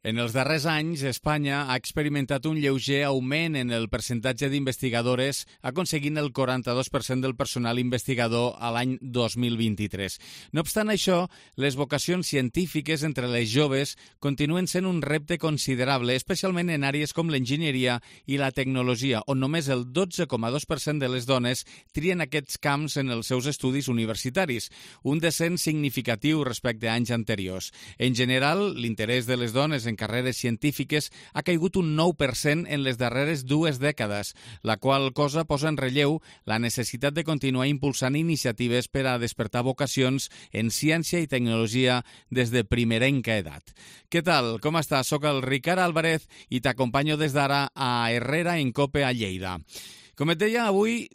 En els darrers anys, Espanya ha experimentat un lleuger augment en el percentatge d'investigadores, aconseguint el 42% del personal investigador a l'any 2023. No obstant això, les vocacions científiques entre les joves continuen sent un repte considerable, especialment en àrees com l'enginyeria i la tecnologia, on només el 12,2% de les dones trien aquests camps en els seus estudis universitaris, un descens significatiu respecte a anys anteriors. En general, l'interès de les dones en carreres científiques ha caigut un 9% en les darreres 2 dècades, la qual cosa posa en relleu la necessitat de continuar impulsant iniciatives per a despertar vocacions en ciència i tecnologia des de primerenca edat. Què tal? Com estàs? Soc el Ricard Álvarez i t'acompanyo des d'ara a Herrera en Cope a Lleida. Com et deia, avui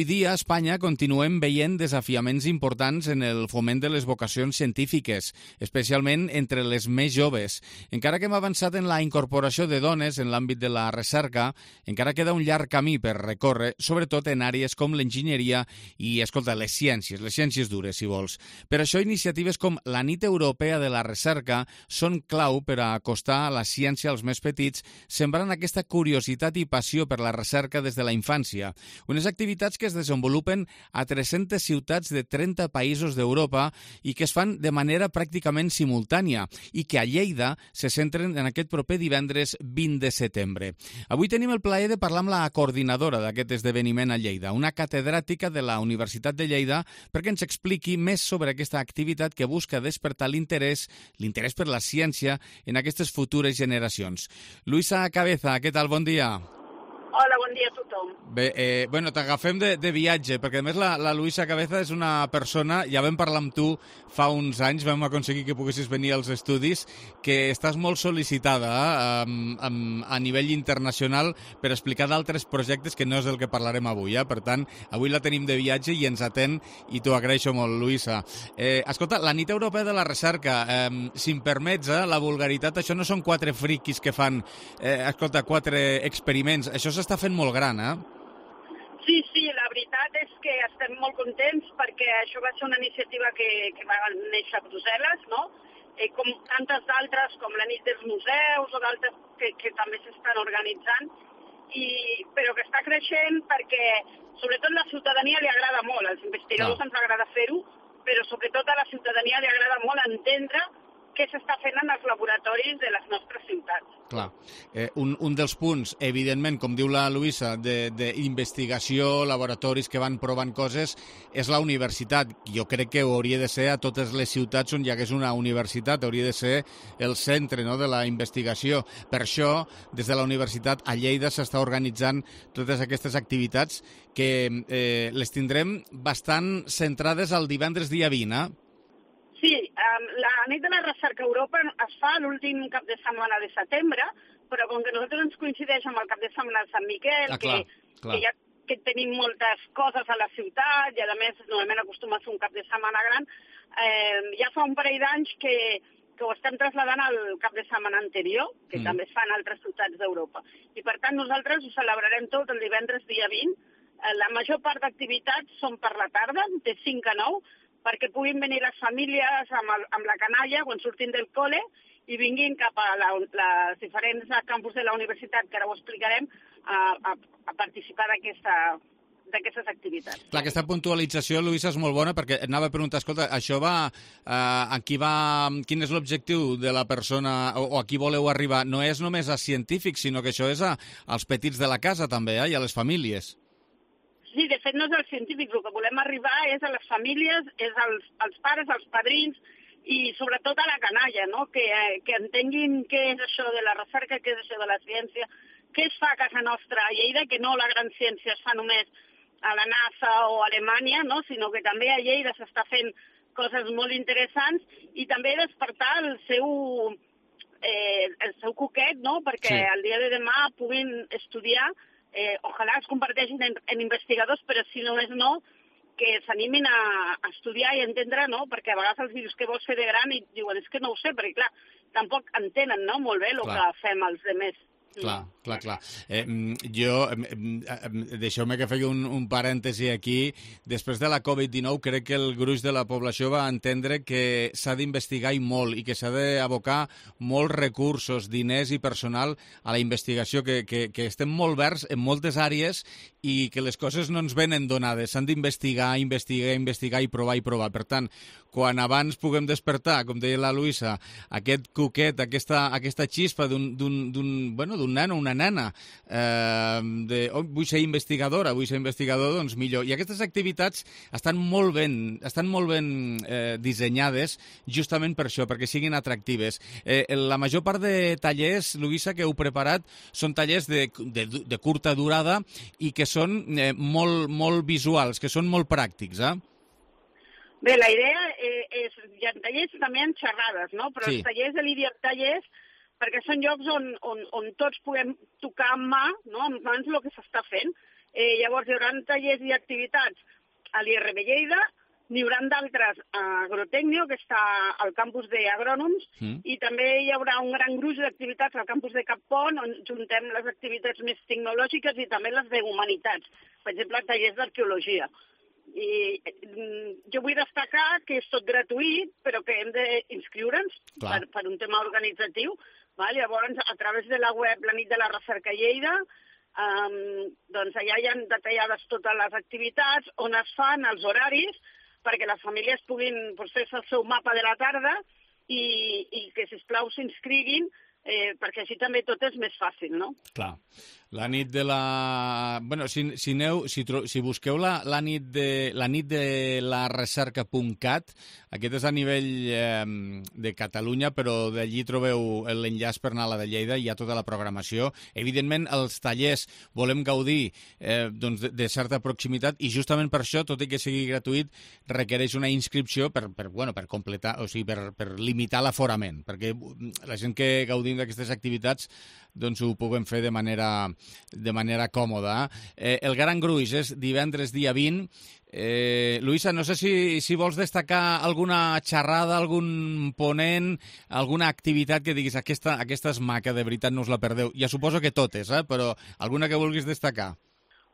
dia a Espanya continuem veient desafiaments importants en el foment de les vocacions científiques, especialment entre les més joves. Encara que hem avançat en la incorporació de dones en l'àmbit de la recerca, encara queda un llarg camí per recórrer, sobretot en àrees com l'enginyeria i, escolta, les ciències dures, si vols. Per això, iniciatives com la Nit Europea de la Recerca són clau per a acostar la ciència als més petits, sembrant aquesta curiositat i passió per la recerca des de la infància. Unes activitats que es desenvolupen a 300 ciutats de 30 països d'Europa i que es fan de manera pràcticament simultània i que a Lleida se centren en aquest proper divendres 20 de setembre. Avui tenim el plaer de parlar amb la coordinadora d'aquest esdeveniment a Lleida, una catedràtica de la Universitat de Lleida, perquè ens expliqui més sobre aquesta activitat que busca despertar l'interès per la ciència en aquestes futures generacions. Luisa Cabeza, què tal? Bon dia. Hola, bon dia a tothom. Bé, t'agafem de viatge, perquè a més la Luisa Cabeza és una persona, ja vam parlar amb tu fa uns anys, vam aconseguir que poguessis venir als estudis, que estàs molt sol·licitada a nivell internacional per explicar d'altres projectes que no és el que parlarem avui. Per tant, avui la tenim de viatge i ens atén i t'ho agraeixo molt, Luisa. Escolta, la Nit Europea de la Recerca, si em permets, la vulgaritat, això no són 4 friquis que fan, 4 experiments, això s'està fent molt gran, Sí, la veritat és que estem molt contents perquè això va ser una iniciativa que va néixer a Brussel·les, no? Com tantes d'altres, com la nit dels museus o d'altres que també s'estan organitzant, però que està creixent perquè sobretot la ciutadania li agrada molt, als investigadors ens agrada fer-ho, però sobretot a la ciutadania li agrada molt entendre què s'està fent en els laboratoris de les nostres ciutats. Clar. Un dels punts, evidentment, com diu la Luisa, d'investigació, laboratoris que van provant coses, és la universitat. Jo crec que hauria de ser a totes les ciutats on hi hagués una universitat, hauria de ser el centre, no?, de la investigació. Per això, des de la universitat a Lleida s'està organitzant totes aquestes activitats que les tindrem bastant centrades el divendres dia 20, Sí, la nit de la recerca a Europa es fa l'últim cap de setmana de setembre, però com que nosaltres ens coincideix amb el cap de setmana de Sant Miquel, que tenim moltes coses a la ciutat i a més normalment acostuma a ser un cap de setmana gran, ja fa un parell d'anys que ho estem traslladant al cap de setmana anterior, que també es fa en altres ciutats d'Europa. I per tant nosaltres ho celebrarem tot el divendres dia 20. La major part d'activitats són per la tarda, de 5 a 9, perquè puguin venir les famílies amb la canalla quan surtin del col·le i vinguin cap a les diferents campus de la universitat, que ara ho explicarem, a participar d'aquestes activitats. Clar, aquesta puntualització, Luisa, és molt bona, perquè anava a preguntar, escolta, això va, quin és l'objectiu de la persona o a qui voleu arribar? No és només a científics, sinó que això és als petits de la casa també, i a les famílies. Sí, de fet no és als científics, el que volem arribar és a les famílies, és als pares, als padrins i sobretot a la canalla, no? Que entenguin què és això de la recerca, què és això de la ciència, què es fa a casa nostra a Lleida, que no la gran ciència es fa només a la NASA o a Alemanya, no? Sinó que també a Lleida s'està fent coses molt interessants i també despertar el seu coquet, no? Perquè el dia de demà puguin estudiar. Ojalà es converteixin en investigadors, però si només no, que s'animin a estudiar i entendre, no? Perquè a vegades els dius què vols fer de gran i diuen és que no ho sé, perquè clar, tampoc entenen, no?, molt bé el que fem els demés. Clar. Jo, deixeu-me que faci un parèntesi aquí. Després de la Covid-19, crec que el gruix de la població va entendre que s'ha d'investigar i molt, i que s'ha d'abocar molts recursos, diners i personal a la investigació, que estem molt verds en moltes àrees i que les coses no ens venen donades. S'han d'investigar, investigar i provar. Per tant, quan abans puguem despertar, com deia la Luisa, aquest cuquet, aquesta xispa d'un nen o una nena, vull ser investigador, doncs millor. I aquestes activitats estan molt ben dissenyades justament per això, perquè siguin atractives. La major part de tallers, Luisa, que heu preparat, són tallers de curta durada i que són molt visuals, que són molt pràctics, Bé, la idea és, hi ha tallers també en xerrades, no? Però sí. Els tallers de l'IDIA tallers, perquè són llocs on tots puguem tocar amb mà, no? Amb mans el que s'està fent. Llavors hi haurà tallers i activitats a l'IRB Lleida, n'hi haurà d'altres a Agrotecnio, que està al campus d'Agrònoms, i també hi haurà un gran gruix d'activitats al campus de Cap Pont, on juntem les activitats més tecnològiques i també les d'humanitats, per exemple, tallers d'arqueologia. I jo vull destacar que és tot gratuït, però que hem d'inscriure'ns per un tema organitzatiu. Llavors, a través de la web La Nit de la Recerca Lleida, doncs allà hi ha detallades totes les activitats, on es fan, els horaris, perquè les famílies puguin fer-se el seu mapa de la tarda i que, sisplau, s'inscriguin, perquè així també tot és més fàcil, no? Clar. La nit de la... Bueno, si busqueu la nit de la recerca.cat, aquest és a nivell de Catalunya, però d'allí trobeu l'enllaç per anar a la de Lleida, hi ha tota la programació. Evidentment, els tallers volem gaudir de certa proximitat i justament per això, tot i que sigui gratuït, requereix una inscripció per completar, o sigui, per limitar l'aforament, perquè la gent que gaudim d'aquestes activitats doncs ho puguem fer de manera còmoda. El gran gruix és divendres dia 20. Luisa, no sé si vols destacar alguna xerrada, algun ponent, alguna activitat que diguis aquesta és maca, de veritat no us la perdeu. Ja suposo que totes, però alguna que vulguis destacar.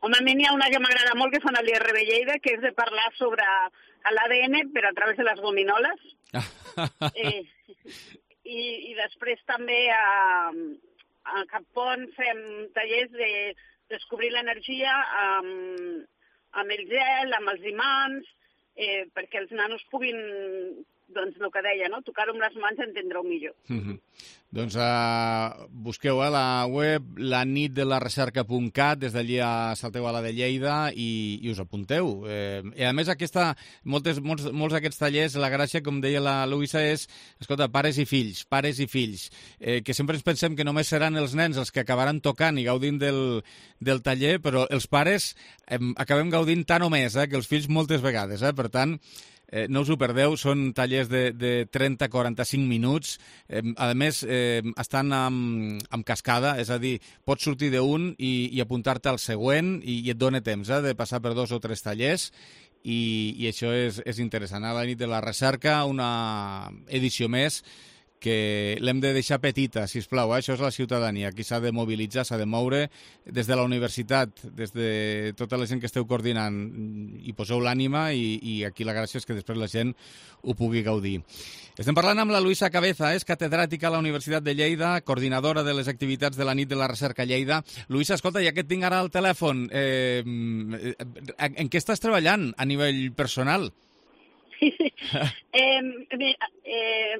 Home, a mi n'hi ha una que m'agrada molt, que fan a l'IRB Lleida, que és de parlar sobre l'ADN però a través de les gominoles. I després també a Cap Pont fem tallers de descobrir l'energia amb el gel, amb els imants, perquè els nanos puguin, doncs el que deia, no? Tocar-ho amb les mans i entendre-ho millor. Doncs busqueu a la web lanitdelarecerca.cat, des d'allí salteu a la de Lleida i us apunteu. I a més, molts d'aquests tallers, la gràcia, com deia la Luisa, és, escolta, pares i fills, que sempre ens pensem que només seran els nens els que acabaran tocant i gaudint del taller, però els pares acabem gaudint tant o més que els fills moltes vegades. Per tant, no us ho perdeu, són tallers de 30-45 minuts. A més, estan amb cascada, és a dir, pots sortir d'un i apuntar-te al següent i et dona temps de passar per 2 o 3 tallers i això és interessant. A la nit de la recerca, una edició més que l'hem de deixar petita, sisplau. Això és la ciutadania. Aquí s'ha de mobilitzar, s'ha de moure des de la universitat, des de tota la gent que esteu coordinant i poseu l'ànima i aquí la gràcia és que després la gent ho pugui gaudir. Estem parlant amb la Luisa Cabeza, és catedràtica a la Universitat de Lleida, coordinadora de les activitats de la nit de la recerca Lleida. Luisa, escolta, ja que et tinc ara al telèfon, en què estàs treballant a nivell personal?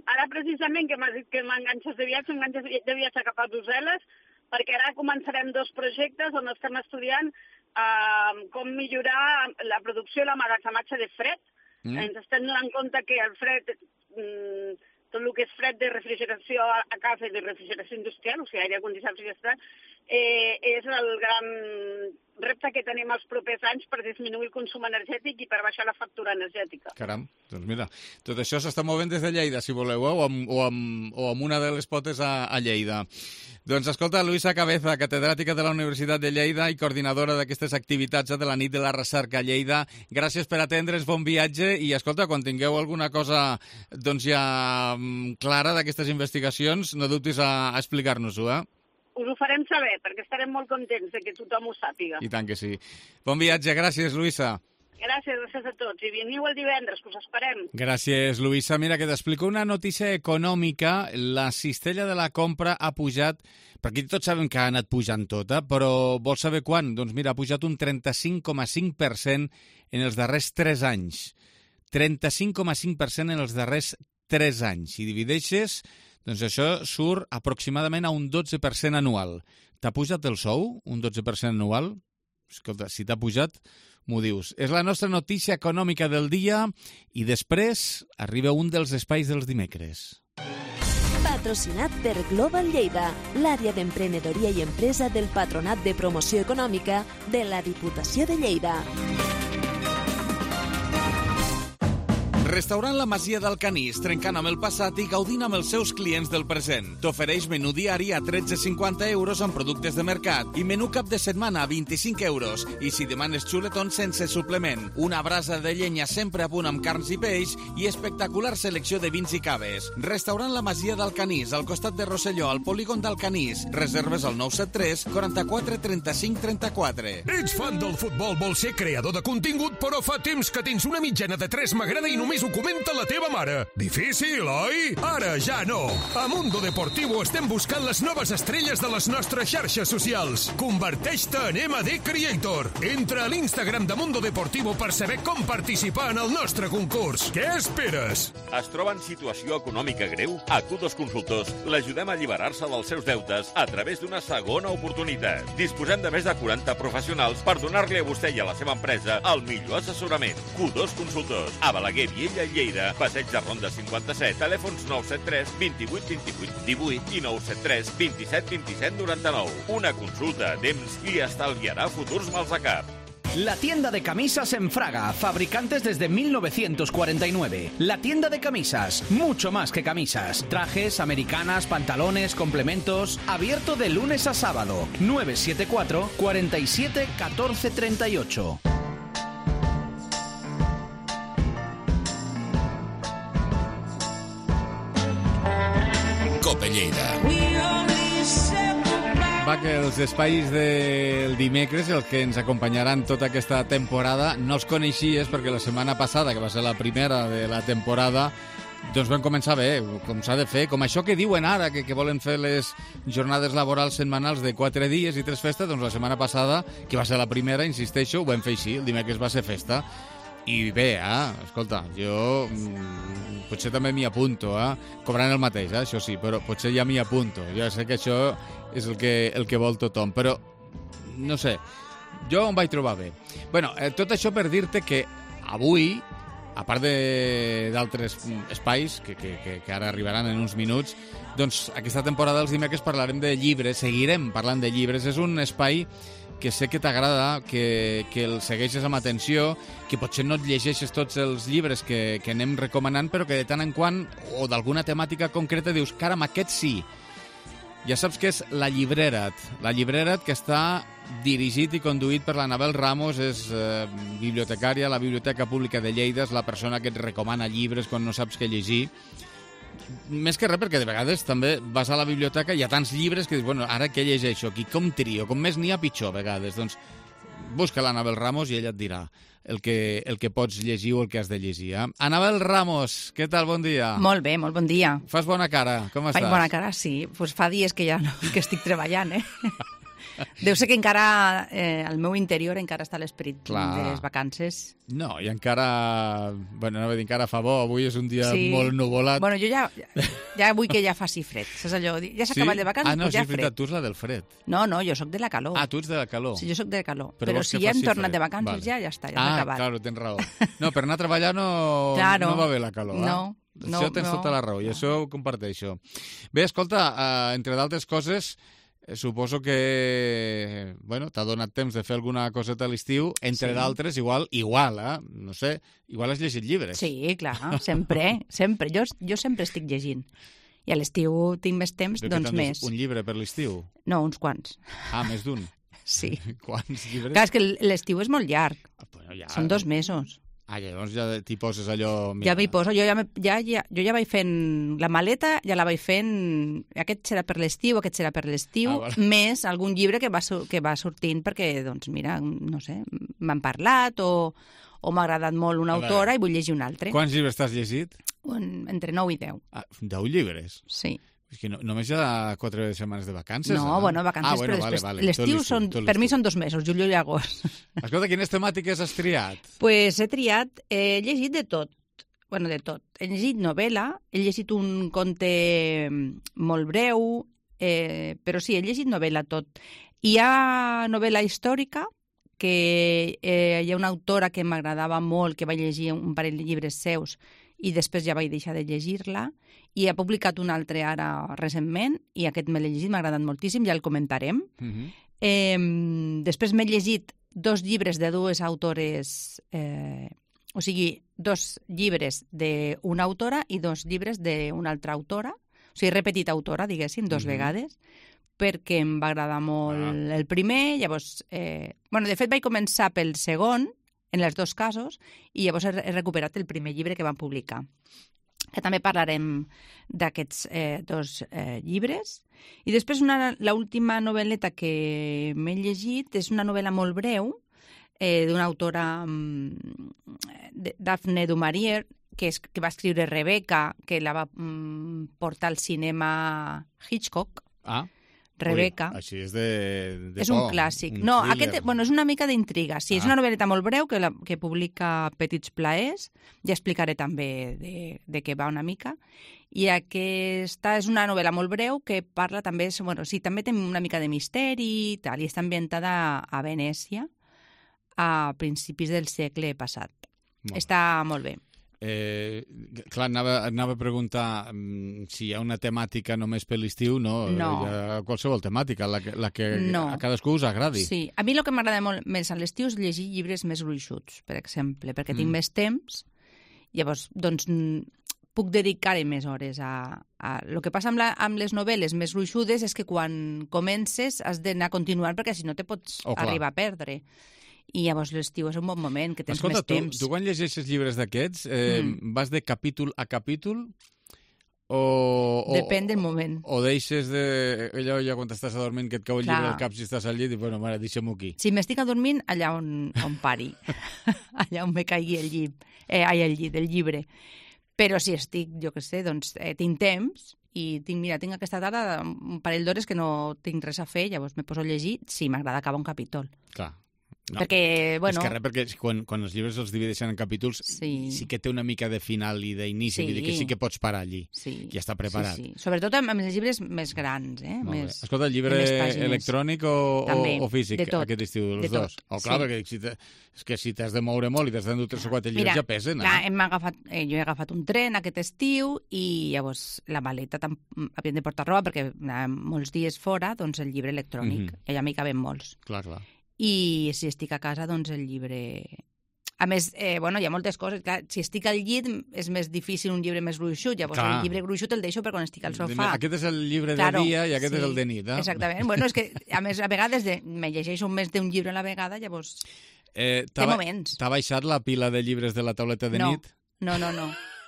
Ara precisament que m'enganxes de viatge cap a Brussel·les, perquè ara començarem 2 projectes on estem estudiant com millorar la producció i l'emmagatzematge de fred. Ens estem donant compte que el fred, tot el que és fred de refrigeració a casa i de refrigeració industrial, o sigui, aire condicionat i gestat, és el gran repte que tenim els propers anys per disminuir el consum energètic i per baixar la factura energètica. Caram, doncs mira, tot això s'està movent des de Lleida, si voleu, o amb una de les potes a Lleida. Doncs escolta, Luisa Cabeza, catedràtica de la Universitat de Lleida i coordinadora d'aquestes activitats de la nit de la recerca a Lleida, gràcies per atendre's, bon viatge, i escolta, quan tingueu alguna cosa doncs ja clara d'aquestes investigacions, no dubtis a explicar-nos-ho, us ho farem saber, perquè estarem molt contents de que tothom ho sàpiga. I tant que sí. Bon viatge, gràcies, Lluïsa. Gràcies a tots. I veniu el divendres, que us esperem. Gràcies, Lluïsa. Mira, que t'explico una notícia econòmica. La cistella de la compra ha pujat, perquè tots sabem que ha anat pujant tota, però vols saber quan? Doncs mira, ha pujat un 35,5% en els darrers 3 anys. 35,5% en els darrers 3 anys. Si divideixes, doncs això surt aproximadament a un 12% anual. T'ha pujat el sou, un 12% anual? Escolta, si t'ha pujat, m'ho dius. És la nostra notícia econòmica del dia i després arriba un dels espais dels dimecres. Patrocinat per Global Lleida, l'àrea d'emprenedoria i empresa del Patronat de Promoció Econòmica de la Diputació de Lleida. Restaurant La Masia del Canís, trencant amb el passat i gaudint amb els seus clients del present. T'ofereix menú diari a 13,50 euros amb productes de mercat i menú cap de setmana a 25 euros. I si demanes xuletons sense suplement, una brasa de llenya sempre a punt amb carns i peix i espectacular selecció de vins i caves. Restaurant La Masia del Canís, al costat de Rosselló, al polígon del Canís. Reserves al 973 44 35 34. Ets fan del futbol, vols ser creador de contingut, però fa temps que tens una mitjana de 3 m'agrada i només ho comenta la teva mare. Difícil, oi? Ara ja no. A Mundo Deportivo estem buscant les noves estrelles de les nostres xarxes socials. Converteix-te en MD Creator. Entra a l'Instagram de Mundo Deportivo per saber com participar en el nostre concurs. Què esperes? Es troba en situació econòmica greu? A Q2 Consultors l'ajudem a alliberar-se dels seus deutes a través d'una segona oportunitat. Disposem de més de 40 professionals per donar-li a vostè i a la seva empresa el millor assessorament. Q2 Consultors. A Balaguer, Viella i Lleida. Passeig de Ronda 57. Telèfons 973 28 28 18 i 973 27 27 99. Una consulta a temps i estalviarà futurs mals a cap. La tienda de camisas en Fraga, fabricantes desde 1949. La tienda de camisas, mucho más que camisas. Trajes, americanas, pantalones, complementos. Abierto de lunes a sábado. 974 47 14 38. Cope Lleida. Va, que els espais del dimecres, els que ens acompanyaran tota aquesta temporada, no els coneixies perquè la setmana passada, que va ser la primera de la temporada, doncs vam començar bé, com s'ha de fer, com això que diuen ara, que volen fer les jornades laborals setmanals de 4 dies i 3 festes, doncs la setmana passada, que va ser la primera, insisteixo, ho vam fer així, el dimecres va ser festa. I bé, escolta, jo potser també m'hi apunto, cobrant el mateix, això sí, però potser ja m'hi apunto. Ja sé que això és el que vol tothom, però no sé, jo em vaig trobar bé. Bueno, tot això per dir-te que avui, a part d'altres espais que ara arribaran en uns minuts, doncs aquesta temporada dels dimecres parlarem de llibres, seguirem parlant de llibres. És un espai que sé que t'agrada, que el segueixes amb atenció, que potser no et llegeixes tots els llibres que anem recomanant, però que de tant en quant, o d'alguna temàtica concreta, dius, caram, aquest sí. Ja saps que és La Llibrera't. La Llibrera't, que està dirigit i conduït per l'Anabel Ramos, és bibliotecària a la Biblioteca Pública de Lleida, és la persona que et recomana llibres quan no saps què llegir. Més que res, perquè de vegades també vas a la biblioteca i hi ha tants llibres que dius, bueno, ara què llegeixo aquí? Com trio? Com més n'hi ha, pitjor, a vegades. Doncs busca l'Anabel Ramos i ella et dirà el que pots llegir o el que has de llegir. Anabel Ramos, què tal? Bon dia. Molt bé, molt bon dia. Fas bona cara, com estàs? Faig bona cara, sí. Pues fa dies que ja no, que estic treballant, Deu ser que encara, al meu interior, encara està l'esperit de les vacances. No, i encara, bueno, anava a dir, encara fa bo, avui és un dia molt nuvolat. Bueno, jo ja vull que ja faci fred, saps allò? Ja s'ha acabat de vacances, no, ja és veritat, tu ets la del fred. No, jo sóc de la calor. Tu ets de la calor. Sí, jo sóc de la calor, però si ja hem tornat de vacances, ja està, ja s'ha acabat. Claro, tens raó. No, per anar a treballar no va bé la calor, No. Això tens tota la raó, i això ho comparteixo. Bé, escolta, entre d'altres coses, suposo que, bueno, t'ha donat temps de fer alguna coseta a l'estiu, entre d'altres, igual, no sé, igual has llegit llibres. Sí, clar, sempre. Jo sempre estic llegint. I a l'estiu tinc més temps, doncs més. Un llibre per l'estiu? No, uns quants. Més d'un? Sí. Quants llibres? Clar, és que l'estiu és molt llarg. Bueno, ja... Són 2 mesos. Llavors ja t'hi poses allò... Ja m'hi poso. Jo ja vaig fent la maleta, ja la vaig fent... Aquest serà per l'estiu, aquest serà per l'estiu, més algun llibre que va sortint perquè, doncs, mira, no sé, m'han parlat o m'ha agradat molt una autora i vull llegir un altre. Quants llibres t'has llegit? Entre 9 i 10. 10 llibres? Sí. És que només hi ha 4 setmanes de vacances. No, vacances, però després l'estiu per mi són 2 mesos, juliol i agost. Escolta, quines temàtiques has triat? Pues he llegit de tot. Bueno, de tot. He llegit novel·la, he llegit un conte molt breu, però sí, he llegit novel·la tot. Hi ha novel·la històrica, que hi ha una autora que m'agradava molt, que vaig llegir un parell de llibres seus, i després ja vaig deixar de llegir-la, i ha publicat un altre ara recentment, i aquest me l'he llegit, m'ha agradat moltíssim, ja el comentarem. Després m'he llegit 2 llibres de 2 autores, o sigui, 2 llibres d'una autora i 2 llibres d'una altra autora, o sigui, he repetit autora, diguéssim, 2 vegades, perquè em va agradar molt el primer, llavors... de fet, vaig començar pel segon, en els 2 casos, i llavors he recuperat el primer llibre que van publicar. Que també parlarem d'aquests 2 llibres. I després l'última novel·leta que m'he llegit és una novel·la molt breu d'una autora, Daphne du Maurier, que va escriure Rebecca, que la va portar al cinema Hitchcock. Rebecca. Ui, així és de és un clàssic. No, és una mica d'intriga. Sí, és una novel·leta molt breu que publica Petits Plaers. Ja explicaré també de què va una mica. I aquesta és una novel·la molt breu que parla també... sí, també té una mica de misteri i tal, i està ambientada a Venècia a principis del segle passat. Està molt bé. Clar, anava a preguntar si hi ha una temàtica només per l'estiu, no? Hi ha qualsevol temàtica, la que a cadascú us agradi. Sí, a mi el que m'agrada molt més a l'estiu és llegir llibres més gruixuts, per exemple, perquè tinc més temps, llavors, doncs, puc dedicar-hi més hores a... El que passa amb les novel·les més gruixudes és que quan comences has d'anar continuant perquè si no te pots arribar a perdre. I llavors l'estiu és un bon moment, que tens més temps. Tu quan llegeixes llibres d'aquests, vas de capítol a capítol? Depèn del moment. O deixes allò ja quan estàs adormint que et cau el llibre al cap si estàs al llit i, bueno, mare, deixem-ho aquí. Si m'estic adormint, allà on pari. Allà on me caigui el llibre. Però si estic, jo què sé, doncs tinc temps i tinc aquesta tarda un parell d'hores que no tinc res a fer, llavors me poso a llegir, sí, m'agrada acabar un capítol. Clar. No. Perquè, bueno... perquè quan els llibres els divideixen en capítols sí que té una mica de final i d'inici, vull dir que sí que pots parar allí, ja està preparat. Sí. Sobretot amb els llibres més grans. Escolta, el llibre electrònic o físic aquest estiu, els dos? Clar, perquè és que si t'has de moure molt i t'has d'endur 3 o 4 llibres ja pesen. Jo he agafat un tren aquest estiu i llavors la maleta havíem de portar roba perquè molts dies fora, doncs el llibre electrònic, allà m'hi caben molts. Clar. I si estic a casa, doncs el llibre... A més, hi ha moltes coses. Clar, si estic al llit és més difícil un llibre més gruixut. Llavors el llibre gruixut el deixo per quan estic al sofà. Aquest és el llibre de dia i aquest és el de nit. Exactament. Bueno, és que a més a vegades me llegeixo més d'un llibre a la vegada, llavors té moments. T'ha baixat la pila de llibres de la tauleta de nit? No.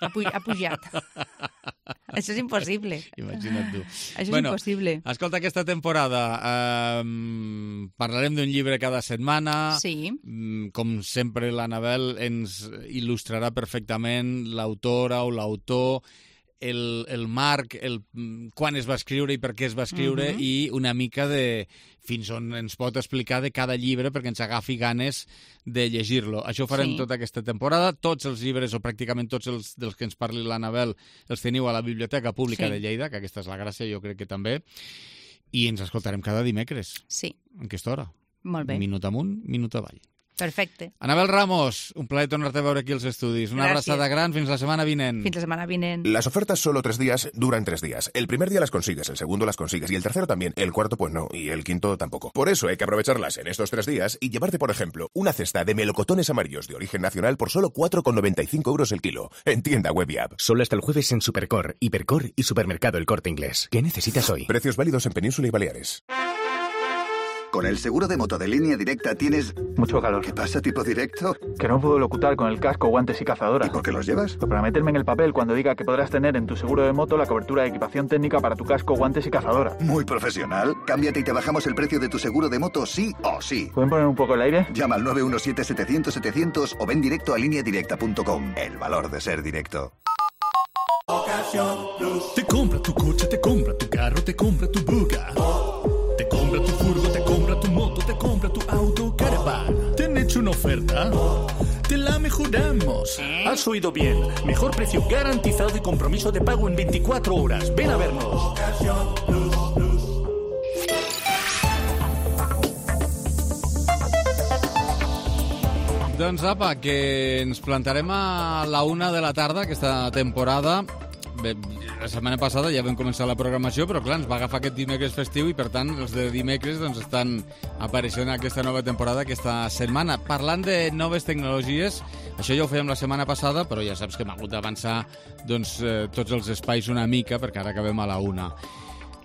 Ha pujat. Això és impossible. Imagina't tu. Això és impossible. Escolta, aquesta temporada parlarem d'un llibre cada setmana. Sí. Com sempre, l'Anabel ens il·lustrarà perfectament l'autora o l'autor, el marc, quan es va escriure i per què es va escriure i una mica de fins on ens pot explicar de cada llibre perquè ens agafi ganes de llegir-lo. Això ho farem tota aquesta temporada. Tots els llibres, o pràcticament tots els dels que ens parli l'Anabel, els teniu a la Biblioteca Pública de Lleida, que aquesta és la gràcia, jo crec que també. I ens escoltarem cada dimecres. Sí. En aquesta hora. Molt bé. Minut amunt, minut avall. Perfecte. Anabel Ramos, un plaer tornar-te a veure aquí als estudis. Una abraçada gran, fins la setmana vinent. Fins la semana vinent. Las ofertas solo 3 días duran 3 días. El primer día las consigues, el segundo las consigues y el tercero también. El cuarto pues no, y el quinto tampoco. Por eso hay que aprovecharlas en estos 3 días y llevarte, por ejemplo, una cesta de melocotones amarillos de origen nacional por solo 4,95 € el kilo. En tienda web y app. Solo hasta el jueves en Supercor, Hipercor y Supermercado El Corte Inglés. ¿Qué necesitas hoy? Precios válidos en Península y Baleares. Con el seguro de moto de Línea Directa tienes... mucho calor. ¿Qué pasa, tipo directo? Que no puedo locutar con el casco, guantes y cazadora. ¿Y por qué los llevas? Pues para meterme en el papel cuando diga que podrás tener en tu seguro de moto la cobertura de equipación técnica para tu casco, guantes y cazadora. Muy profesional. Cámbiate y te bajamos el precio de tu seguro de moto sí o sí. ¿Pueden poner un poco el aire? Llama al 917-700-700 o ven directo a lineadirecta.com. El valor de ser directo. Te compra tu coche, te compra tu carro, te compra tu buga. Te compra tu furgo, te compra tu moto, te compra tu auto, caravan. ¿Te han hecho una oferta? Te la mejoramos. Has oído bien. Mejor precio garantizado y compromiso de pago en 24 horas. Ven a vernos. Doncs apa, que ens plantarem a la 1 de la tarda aquesta temporada. Bé, la setmana passada ja vam començar la programació, però clar, ens va agafar aquest dimecres festiu i per tant els de dimecres doncs, estan apareixent aquesta nova temporada aquesta setmana. Parlant de noves tecnologies, això ja ho fèiem la setmana passada, però ja saps que hem hagut d'avançar doncs, tots els espais una mica, perquè ara acabem a la 1.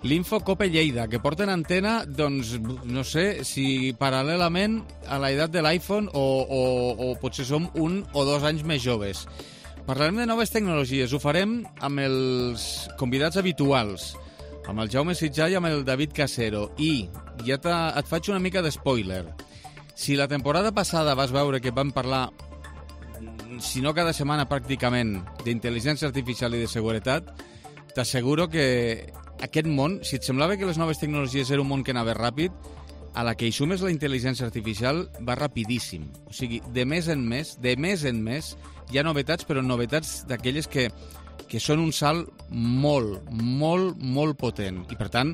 L'Infocope Lleida, que porten antena, doncs, no sé si paral·lelament a l'edat de l'iPhone o potser som 1 o 2 anys més joves. Parlarem de noves tecnologies, ho farem amb els convidats habituals, amb el Jaume Sitjà i amb el David Casero. I ja et faig una mica d'espoiler. Si la temporada passada vas veure que vam parlar, si no cada setmana pràcticament, d'intel·ligència artificial i de seguretat, t'asseguro que aquest món, si et semblava que les noves tecnologies era un món que anava ràpid, a la que hi sumes la intel·ligència artificial va rapidíssim. O sigui, de mes en mes, hi ha novetats, però novetats d'aquelles que són un salt molt, molt, molt potent. I per tant,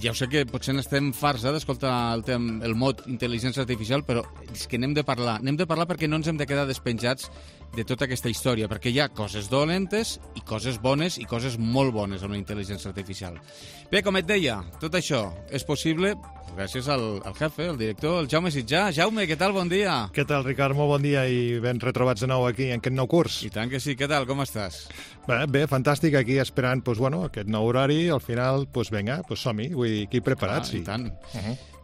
ja ho sé que potser n'estem farts d'escoltar el mot intel·ligència artificial, però és que n'hem de parlar. N'hem de parlar perquè no ens hem de quedar despenjats de tota aquesta història, perquè hi ha coses dolentes i coses bones i coses molt bones amb la intel·ligència artificial. Bé, com et deia, tot això és possible gràcies al jefe, el director, el Jaume Sitjà. Jaume, què tal? Bon dia. Què tal, Ricard? Molt bon dia i ben retrobats de nou aquí en aquest nou curs. I tant que sí. Què tal? Com estàs? Bé, fantàstic, aquí esperant aquest nou horari. Al final, vinga, som-hi. Vull dir, aquí preparats. I tant.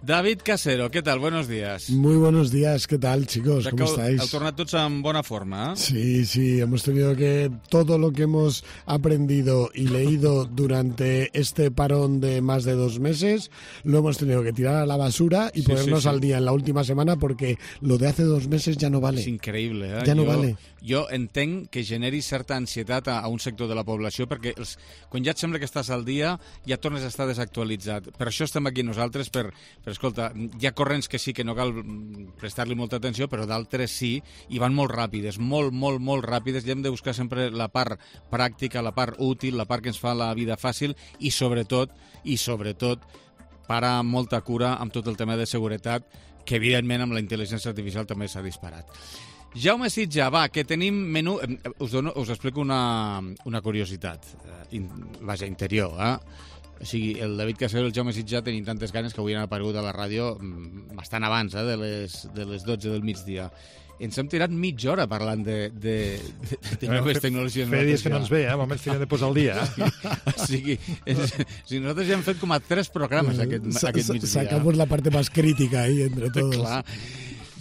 David Casero, ¿qué tal? Buenos días. Muy buenos días, ¿qué tal, chicos? ¿Cómo estáis? Heu tornat tots en bona forma, ¿eh? Sí, hemos tenido que... Todo lo que hemos aprendido y leído durante este parón de más de 2 meses, lo hemos tenido que tirar a la basura y ponernos al día en la última semana porque lo de hace 2 meses ya no vale. És increïble, eh? Ja no vale. Jo entenc que generi certa ansietat a un sector de la població perquè quan ja et sembla que estàs al dia ja tornes a estar desactualitzat. Per això estem aquí nosaltres, per escolta, hi ha corrents que sí que no cal prestar-li molta atenció, però d'altres sí, i van molt ràpides, molt ràpides, i hem de buscar sempre la part pràctica, la part útil, la part que ens fa la vida fàcil i sobretot, parar molta cura amb tot el tema de seguretat, que evidentment amb la intel·ligència artificial també s'ha disparat. Jaume Sitjà, va, que tenim menú... Us explico una curiositat, interior, eh? O sigui, el David Casero i el Jaume Sitjà tenien tantes ganes que avui han aparegut a la ràdio bastant abans, de les 12 del migdia. Ens hem tirat mitja hora parlant de noves tecnologies. Feia dies que no ens ve, moments que hem de posar al dia. O sigui, nosaltres ja hem fet com a 3 programes aquest migdia. Sacamos la parte más crítica ahí entre todos. Clar.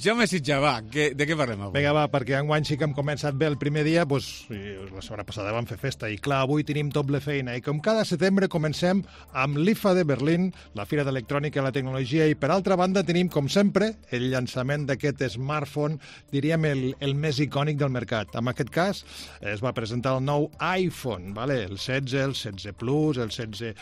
Jaume Sitjà, va, de què parlem avui? Vinga, va, perquè enguany sí que hem començat bé el primer dia, la setmana passada vam fer festa, i clar, avui tenim doble feina, i com cada setembre comencem amb l'IFA de Berlín, la Fira d'Electrònica i la Tecnologia, i per altra banda tenim, com sempre, el llançament d'aquest smartphone, diríem el més icònic del mercat. En aquest cas, es va presentar el nou iPhone, el 16, el 16 Plus, el 16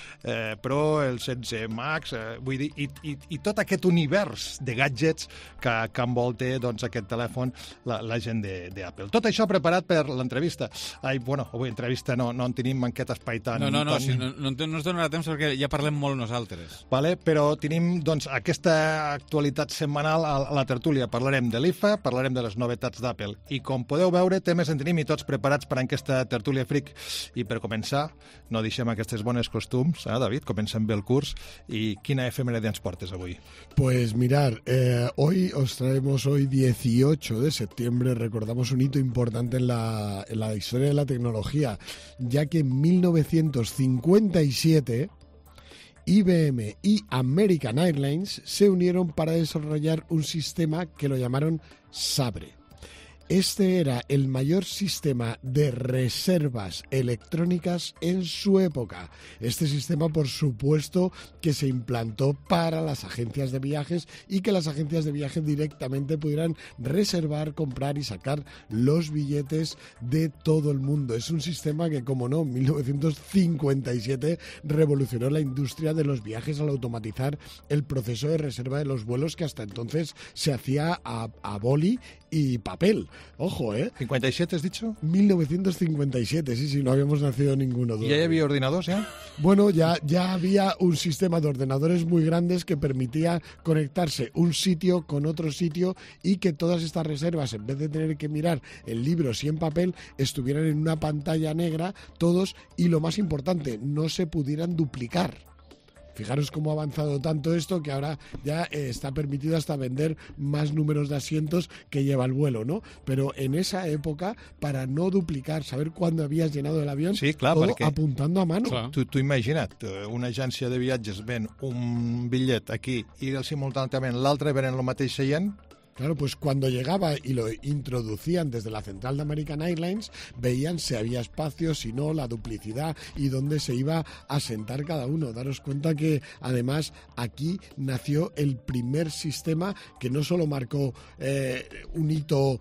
Pro, el 16 Max, vull dir, i tot aquest univers de gadgets que envolta aquest telèfon la gent d'Apple. Tot això preparat per l'entrevista. Avui entrevista no en tenim en aquest espai tan... No ens donarà temps perquè ja parlem molt nosaltres. Però tenim aquesta actualitat setmanal a la tertúlia. Parlarem de l'IFA, parlarem de les novetats d'Apple. I com podeu veure, temes en tenim i tots preparats per a aquesta tertúlia fric. I per començar, no deixem aquestes bones costums, David? Comencem bé el curs. I quina efemèride ens portes avui? Pues mirar, hoy os traemos hoy 18 de septiembre, recordamos un hito importante en la historia de la tecnología, ya que en 1957 IBM y American Airlines se unieron para desarrollar un sistema que lo llamaron Sabre. Este era el mayor sistema de reservas electrónicas en su época. Este sistema, por supuesto, que se implantó para las agencias de viajes y que las agencias de viajes directamente pudieran reservar, comprar y sacar los billetes de todo el mundo. Es un sistema que, como no, en 1957 revolucionó la industria de los viajes al automatizar el proceso de reserva de los vuelos que hasta entonces se hacía a boli y papel. Ojo, ¿eh? ¿57 has dicho? 1957, sí, no habíamos nacido ninguno. ¿Y ya había ordenadores ya? Bueno, ya había un sistema de ordenadores muy grandes que permitía conectarse un sitio con otro sitio y que todas estas reservas, en vez de tener que mirar en libros y en papel, estuvieran en una pantalla negra todos y, lo más importante, no se pudieran duplicar. Fijaros cómo ha avanzado tanto esto que ahora ya está permitido hasta vender más números de asientos que lleva el vuelo, ¿no? Pero en esa época, para no duplicar, saber cuándo habías llenado el avión, sí, clar, todo apuntando a mano. Tu imagina't, una agència de viatges ven un bitllet aquí i simultàniament l'altre ven el mateix seient. Claro, pues cuando llegaba y lo introducían desde la central de American Airlines, veían si había espacio, si no, la duplicidad y dónde se iba a sentar cada uno. Daros cuenta que, además, aquí nació el primer sistema que no solo marcó un hito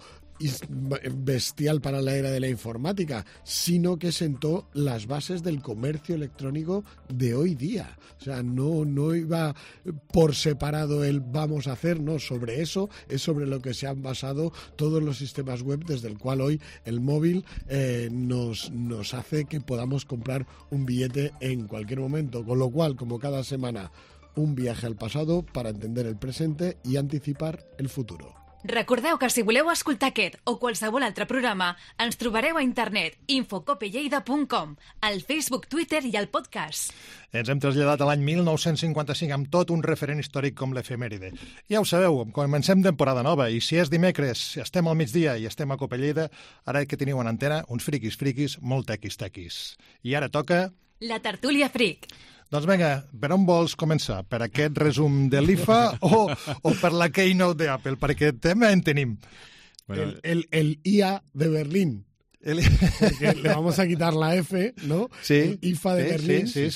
bestial para la era de la informática, sino que sentó las bases del comercio electrónico de hoy día. O sea, no iba por separado el vamos a hacer, no, sobre eso es sobre lo que se han basado todos los sistemas web, desde el cual hoy el móvil nos hace que podamos comprar un billete en cualquier momento, con lo cual, como cada semana, un viaje al pasado para entender el presente y anticipar el futuro. Recordeu que si voleu escoltar aquest o qualsevol altre programa, ens trobareu a internet infocopelleida.com, al Facebook, Twitter i al podcast. Ens hem traslladat a l'any 1955 amb tot un referent històric com l'efemèride. Ja ho sabeu, comencem temporada nova i si és dimecres, estem al migdia i estem a Copelleida, ara que teniu en antena uns friquis molt tequis. I ara toca... La tertúlia fric. Doncs vinga, per on vols començar? Per aquest resum de l'IFA o per la Keynote d'Apple? Perquè tema en tenim. Bueno, el IA de Berlín. Porque le vamos a quitar la F, ¿no? Sí. El IFA de Berlín. Sí.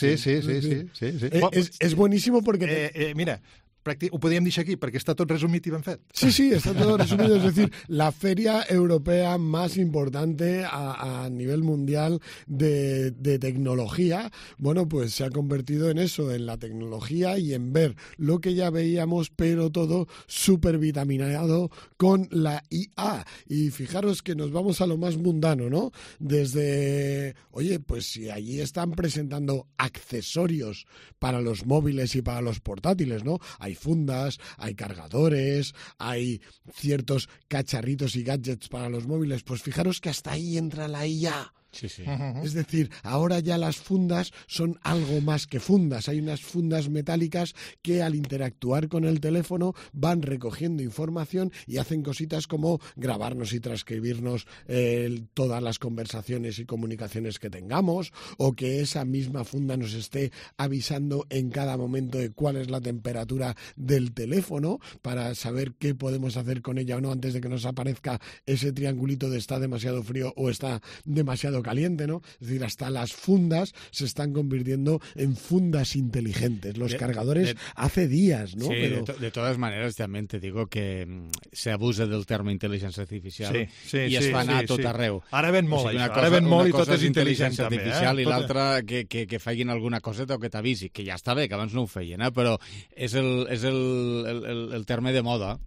Es buenísimo porque... Mira, ho podríem deixar aquí perquè està tot resumit i ben fet. Sí, está todo resumido. Es decir, la feria europea más importante a nivel mundial de tecnología, bueno, pues se ha convertido en eso, en la tecnología y en ver lo que ya veíamos, pero todo súper vitaminado con la IA. Y fijaros que nos vamos a lo más mundano, ¿no? Desde, oye, pues si allí están presentando accesorios para los móviles y para los portátiles, ¿no? Hay fundas, hay cargadores, hay ciertos cacharritos y gadgets para los móviles. Pues fijaros que hasta ahí entra la IA. Sí. Es decir, ahora ya las fundas son algo más que fundas. Hay unas fundas metálicas que al interactuar con el teléfono van recogiendo información y hacen cositas como grabarnos y transcribirnos todas las conversaciones y comunicaciones que tengamos, o que esa misma funda nos esté avisando en cada momento de cuál es la temperatura del teléfono para saber qué podemos hacer con ella o no antes de que nos aparezca ese triangulito de está demasiado frío o está demasiado caliente, ¿no? Es decir, hasta las fundas se están convirtiendo en fundas inteligentes. Los cargadores hace días, ¿no? Sí, pero... de todas maneras, también te digo que se abusa del terme intel·ligència artificial i es fa anar tot arreu. Ara ven molt, això. Ara ven molt i tot és intel·ligència artificial i l'altra que facin alguna coseta o que t'avisi, que ja està bé, que abans no ho feien, però és el terme de moda.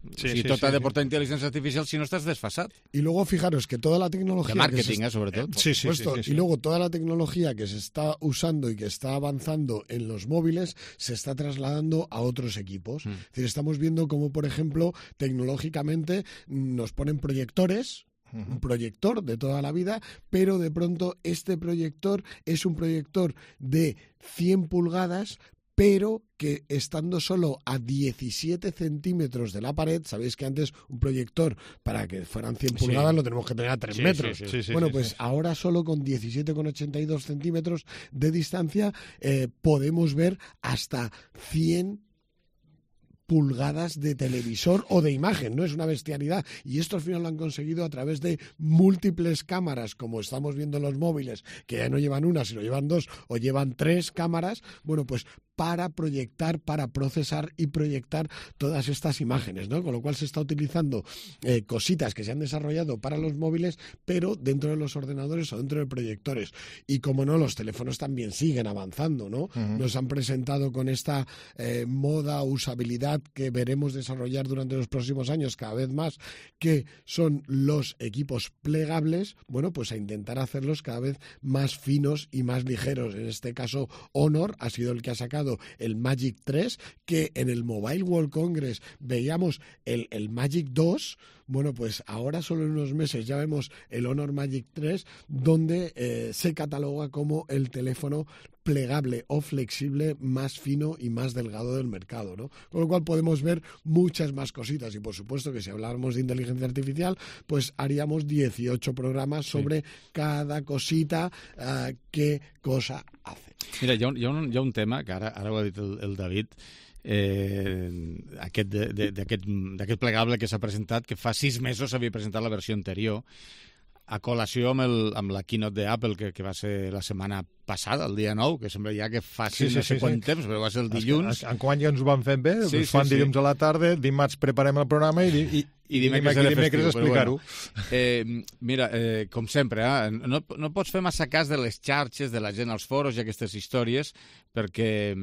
Tot ha de portar intel·ligència artificial si no estàs desfasat. Y luego, fijaros que toda la tecnología... De marketing, sobretot. Sí. Y luego toda la tecnología que se está usando y que está avanzando en los móviles se está trasladando a otros equipos. Es decir, estamos viendo cómo, por ejemplo, tecnológicamente nos ponen proyectores, un proyector de toda la vida, pero de pronto este proyector es un proyector de 100 pulgadas pero que estando solo a 17 centímetros de la pared, sabéis que antes un proyector para que fueran 100 pulgadas lo tenemos que tener a 3 metros. Ahora solo con 17,82 centímetros de distancia podemos ver hasta 100 pulgadas de televisor o de imagen, ¿no? Es una bestialidad. Y esto al final lo han conseguido a través de múltiples cámaras, como estamos viendo en los móviles, que ya no llevan una, sino llevan 2 o llevan 3 cámaras, bueno, pues para proyectar, para procesar y proyectar todas estas imágenes, ¿no? Con lo cual se está utilizando cositas que se han desarrollado para los móviles, pero dentro de los ordenadores o dentro de proyectores. Y como no, los teléfonos también siguen avanzando, ¿no? Nos han presentado con esta moda, usabilidad que veremos desarrollar durante los próximos años cada vez más, que son los equipos plegables, bueno, pues a intentar hacerlos cada vez más finos y más ligeros. En este caso, Honor ha sido el que ha sacado el Magic 3, que en el Mobile World Congress veíamos el Magic 2, bueno, pues ahora solo en unos meses ya vemos el Honor Magic 3, donde se cataloga como el teléfono plegable o flexible más fino y más delgado del mercado, ¿no? Con lo cual podemos ver muchas más cositas y por supuesto que si habláramos de inteligencia artificial, pues haríamos 18 programas sobre cada cosita, qué cosa hace. Mira, hi ha un tema que ara ho ha dit el David, d'aquest plegable que s'ha presentat, que fa 6 mesos s'havia presentat la versió anterior, a col·lació amb la keynote d'Apple, que va ser la setmana passada, el dia 9, que sembla ja que fa no sé quant temps, però va ser el dilluns. Enguany ja ens ho van fent bé, ens fan dilluns a la tarda, dimarts preparem el programa i dimecres explicar-ho. Mira, com sempre, no pots fer massa cas de les xarxes, de la gent als foros i aquestes històries, perquè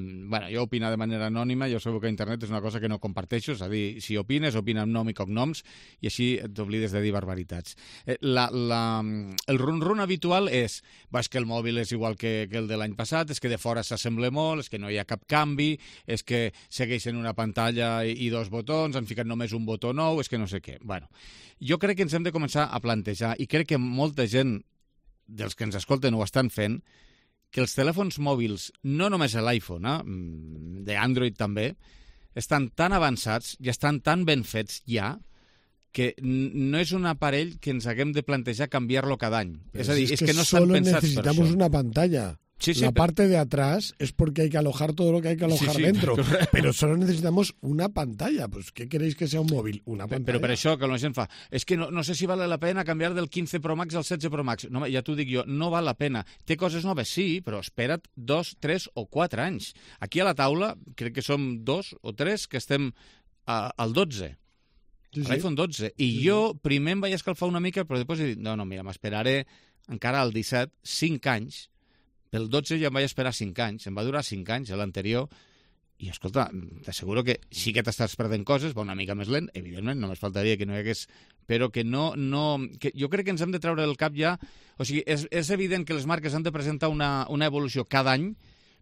jo opino de manera anònima, jo sabeu que internet és una cosa que no comparteixo, és a dir, si opines, opina amb nom i cognoms, i així t'oblides de dir barbaritats. El run-run habitual és que el mòbil és igual que el de l'any passat, és que de fora s'assembla molt, és que no hi ha cap canvi, és que segueixen una pantalla i 2 botons, han ficat només un botó nou, és que no sé què. Bueno, jo crec que ens hem de començar a plantejar, i crec que molta gent dels que ens escolten ho estan fent, que els telèfons mòbils, no només l'iPhone, d'Android també, estan tan avançats i estan tan ben fets ja que no és un aparell que ens haguem de plantejar canviar-lo cada any. És a dir, és que no estan pensats per això. Necesitamos una pantalla. La parte de atrás es porque hay que alojar todo lo que hay que alojar dentro. Pero solo necesitamos una pantalla. Pues, ¿qué queréis que sea un móvil? Una pantalla. Però per això que la gent fa, és que no sé si vale la pena canviar del 15 Pro Max al 16 Pro Max. No, ja t'ho dic jo, no val la pena. Té coses noves, sí, però espera't 2, 3 o 4 anys. Aquí a la taula, crec que som 2 o 3 que estem al 12. L'iPhone 12. I jo primer em vaig escalfar una mica, però després he dit, no, mira, m'esperaré encara al 17, 5 anys. Pel 12 ja em vaig esperar 5 anys, em va durar 5 anys, l'anterior, i escolta, t'asseguro que sí que t'estàs perdent coses, va una mica més lent, evidentment, només faltaria que no hi hagués, però que no... Que jo crec que ens hem de treure del cap ja, o sigui, és evident que les marques han de presentar una evolució cada any,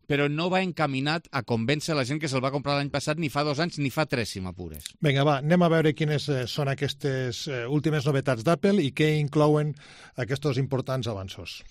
però no va encaminat a convèncer la gent que se'l va comprar l'any passat ni fa 2 anys ni fa 3, si m'apures. Vinga, va, anem a veure quines són aquestes últimes novetats d'Apple i què inclouen aquests importants avanços.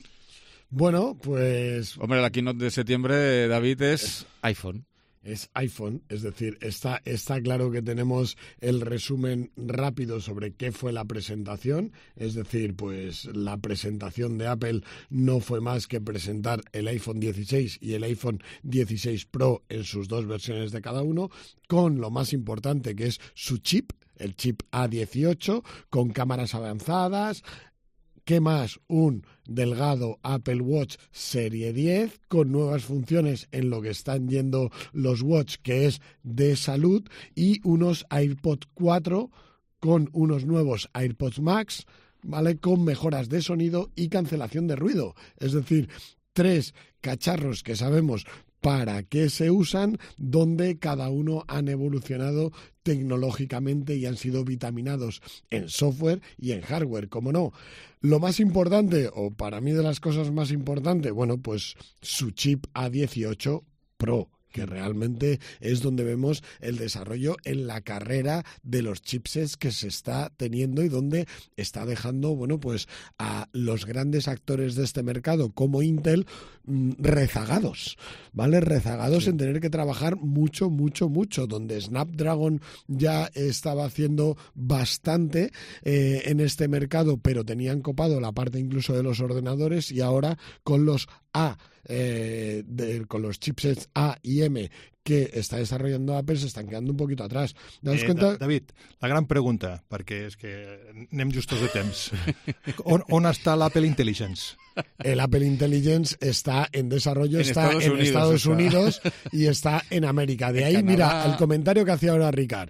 Bueno, pues... Hombre, la keynote de septiembre, David, es iPhone. Es iPhone, es decir, está claro que tenemos el resumen rápido sobre qué fue la presentación, es decir, pues la presentación de Apple no fue más que presentar el iPhone 16 y el iPhone 16 Pro en sus 2 versiones de cada uno, con lo más importante que es su chip, el chip A18, con cámaras avanzadas. ¿Qué más? Un delgado Apple Watch Serie 10 con nuevas funciones en lo que están yendo los Watch, que es de salud, y unos AirPods 4 con unos nuevos AirPods Max, ¿vale? Con mejoras de sonido y cancelación de ruido. Es decir, 3 cacharros que sabemos para qué se usan, donde cada uno han evolucionado tecnológicamente y han sido vitaminados en software y en hardware, como no. Lo más importante, o para mí de las cosas más importantes, bueno, pues su chip A18 Pro, que realmente es donde vemos el desarrollo en la carrera de los chipsets que se está teniendo y donde está dejando, bueno, pues a los grandes actores de este mercado como Intel rezagados, ¿vale? Rezagados en tener que trabajar mucho, donde Snapdragon ya estaba haciendo bastante en este mercado, pero tenían copado la parte incluso de los ordenadores, y ahora con los con los chipsets A y M que està desarrollando Apple s'estan quedando un poquito atrás. David, la gran pregunta, perquè és que anem justos de temps. On està l'Apple Intelligence? El Apple Intelligence está en desarrollo, está en Estados Unidos y está en América. De ahí, mira, el comentario que hacía ahora Ricard.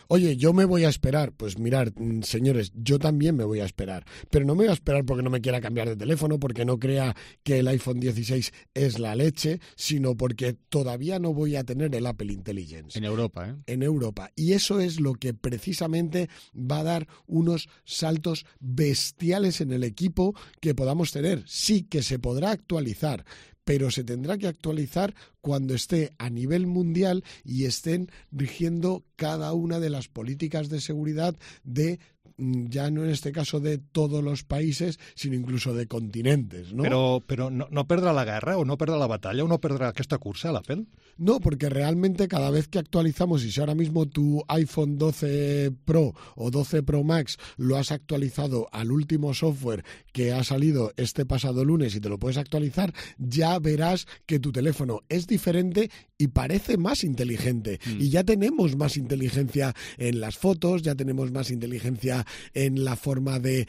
Oye, yo me voy a esperar. Pues mirad, señores, yo también me voy a esperar. Pero no me voy a esperar porque no me quiera cambiar de teléfono, porque no crea que el iPhone 16 es la leche, sino porque todavía no voy a tener el Apple Intelligence. En Europa, ¿eh? En Europa. Y eso es lo que precisamente va a dar unos saltos bestiales en el equipo que podamos tener. Sí que se podrá actualizar, pero se tendrá que actualizar cuando esté a nivel mundial y estén rigiendo cada una de las políticas de seguridad de, ya no en este caso de todos los países, sino incluso de continentes, ¿no? Però no perdrà la guerra o no perdrà la batalla o no perdrà aquesta cursa l'Apple? No, porque realmente cada vez que actualizamos, y si ahora mismo tu iPhone 12 Pro o 12 Pro Max lo has actualizado al último software que ha salido este pasado lunes y te lo puedes actualizar, ya verás que tu teléfono es diferente y parece más inteligente. Y ya tenemos más inteligencia en las fotos, ya tenemos más inteligencia en la forma de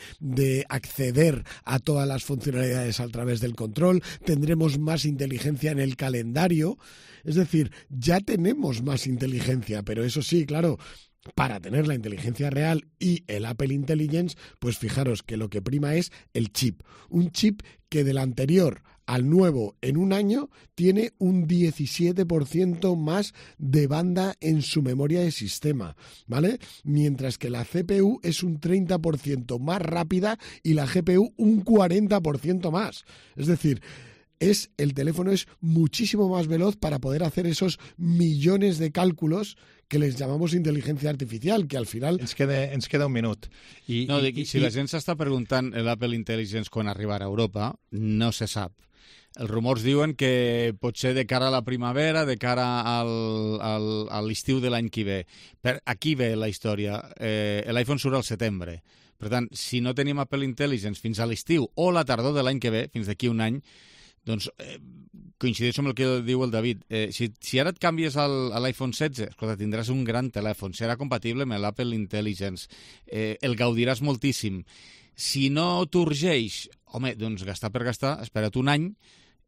acceder a todas las funcionalidades a través del control, tendremos más inteligencia en el calendario. Es decir, ya tenemos más inteligencia, pero eso sí, claro, para tener la inteligencia real y el Apple Intelligence, pues fijaros que lo que prima es el chip. Un chip que del anterior al nuevo en un año tiene un 17% más de banda en su memoria de sistema, ¿vale? Mientras que la CPU es un 30% más rápida y la GPU un 40% más. Es decir, el teléfono es muchísimo más veloz para poder hacer esos millones de cálculos que les llamamos inteligencia artificial, que al final... Ens queda un minut. Si la gent s'està preguntant l'Apple Intelligence quan arribarà a Europa, no se sap. Els rumors diuen que pot ser de cara a la primavera, de cara a l'estiu de l'any que ve. Aquí ve la història. L'iPhone surt al setembre. Per tant, si no tenim Apple Intelligence fins a l'estiu o la tardor de l'any que ve, fins d'aquí un any, doncs coincideix amb el que diu el David. Si ara et canvies a l'iPhone 16, escolta, tindràs un gran telèfon, serà compatible amb l'Apple Intelligence, el gaudiràs moltíssim. Si no t'urgeix, home, doncs gastar per gastar, espera't un any,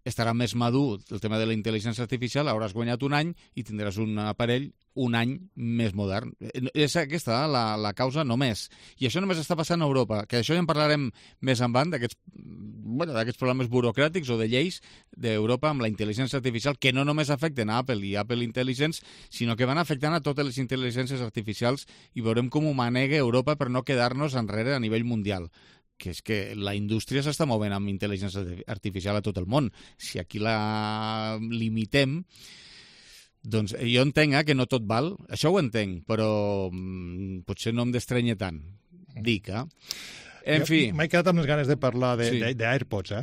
estarà més madur el tema de la intel·ligència artificial, hauràs guanyat un any i tindràs un aparell un any més modern. És aquesta la causa només. I això només està passant a Europa, que d'això ja en parlarem més endavant, d'aquests problemes burocràtics o de lleis d'Europa amb la intel·ligència artificial, que no només afecten a Apple i Apple Intelligence, sinó que van afectant a totes les intel·ligències artificials i veurem com ho manega Europa per no quedar-nos enrere a nivell mundial. Que és que la indústria s'està movent amb intel·ligència artificial a tot el món. Si aquí la limitem, doncs jo entenc que no tot val, això ho entenc, però potser no em d'estranya tant. Dic, En fi... M'he quedat amb les ganes de parlar d'AirPods,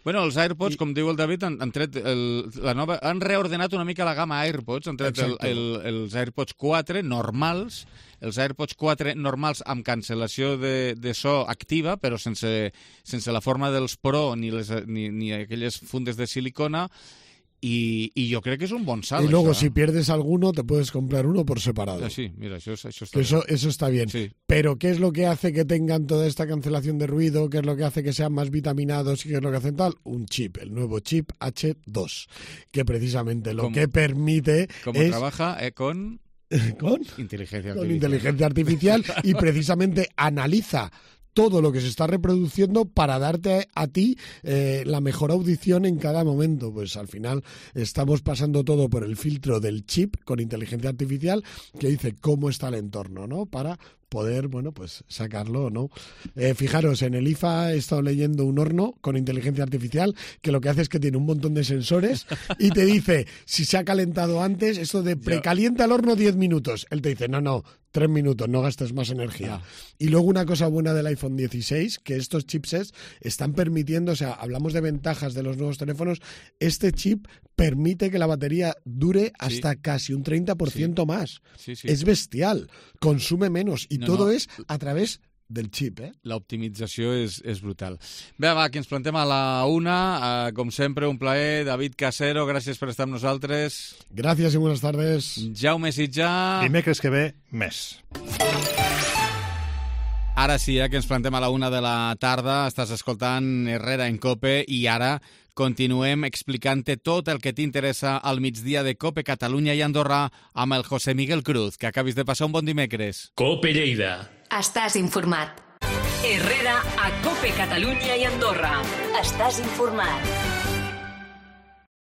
Bueno, els AirPods, com diu el David, han reordenat una mica la gamma AirPods, han tret els AirPods 4 normals, els AirPods 4 normals amb cancel·lació de so activa, però sense la forma dels Pro ni aquelles fundes de silicona, y yo creo que es un bon salt. Y luego, si pierdes alguno, te puedes comprar uno por separado. Sí, mira, eso está bien. Eso está bien. Sí. Pero, ¿qué es lo que hace que tengan toda esta cancelación de ruido? ¿Qué es lo que hace que sean más vitaminados? ¿Y qué es lo que hacen tal? Un chip, el nuevo chip H2, que precisamente lo que permite es... trabaja con inteligencia artificial. Con inteligencia artificial y precisamente analiza todo lo que se está reproduciendo para darte a ti la mejor audición en cada momento. Pues al final estamos pasando todo por el filtro del chip con inteligencia artificial que dice cómo está el entorno, ¿no? Para poder, bueno, pues sacarlo o no. Fijaros, en el IFA he estado leyendo un horno con inteligencia artificial que lo que hace es que tiene un montón de sensores y te dice si se ha calentado antes, esto de precalienta el horno 10 minutos. Él te dice, no, 3 minutos, no gastes más energía. Y luego una cosa buena del iPhone 16, que estos chipsets están permitiendo, o sea, hablamos de ventajas de los nuevos teléfonos, este chip permite que la batería dure hasta casi un 30% más. Sí. Es bestial, consume menos y todo és a través del xip, L'optimització és brutal. Bé, va, que ens plantem a la una. Com sempre, un plaer. David Casero, gràcies per estar amb nosaltres. Gràcies i buenas tardes. Jaume Sitjà. Dimecres que ve, més. Ara sí, que ens plantem a la una de la tarda. Estàs escoltant Herrera en Cope i ara continuem explicant-te tot el que t'interessa al migdia de Cope Catalunya i Andorra amb el José Miguel Cruz. Que acabis de passar un bon dimecres. Cope Lleida. Estàs informat. Herrera a Cope Catalunya i Andorra. Estàs informat.